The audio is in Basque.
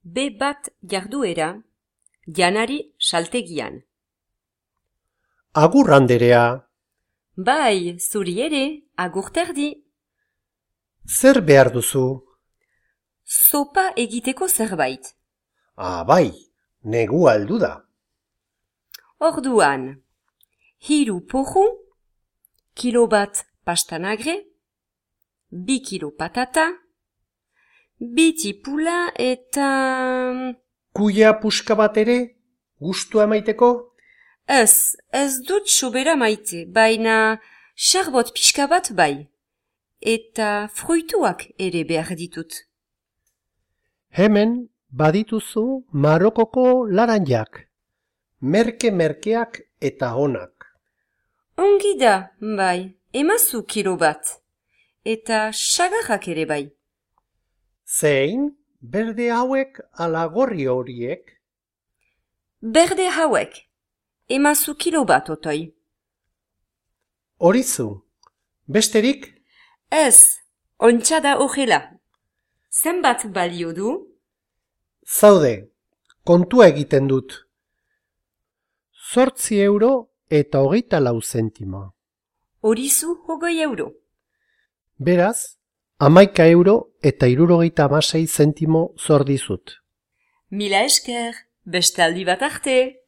B1 jarduera, janari saltegian. Agur, Anderea. Bai, zuri ere, agur terdi. Zer behar duzu? Sopa egiteko zerbait. Bai, negua heldu da. Orduan, 3 porru, kilo bat pastanagre, 2 kilo patata, 2 tipula eta... Kuia puska bat ere? Gustua emaiteko? Ez dut sobera maite, baina xarbot pixka bat bai. Eta fruituak ere behar ditut. Hemen badituzu Marokoko laranjak. Merke-merkeak eta onak. Ongi da, bai, emazu kilo bat. Eta sagarrak ere bai. Zein? Berde hauek ala gorri horiek? Berde hauek, emazu kilo bat otoi. Horizu, besterik? Ez, ontsa da horrela. Zenbat balio du? Zaude, kontua egiten dut. 8 € eta 24 zentimo. Horizu 20 €. Beraz, 11 € eta 76 zentimo zor dizut. Mila esker, bestaldi bat arte.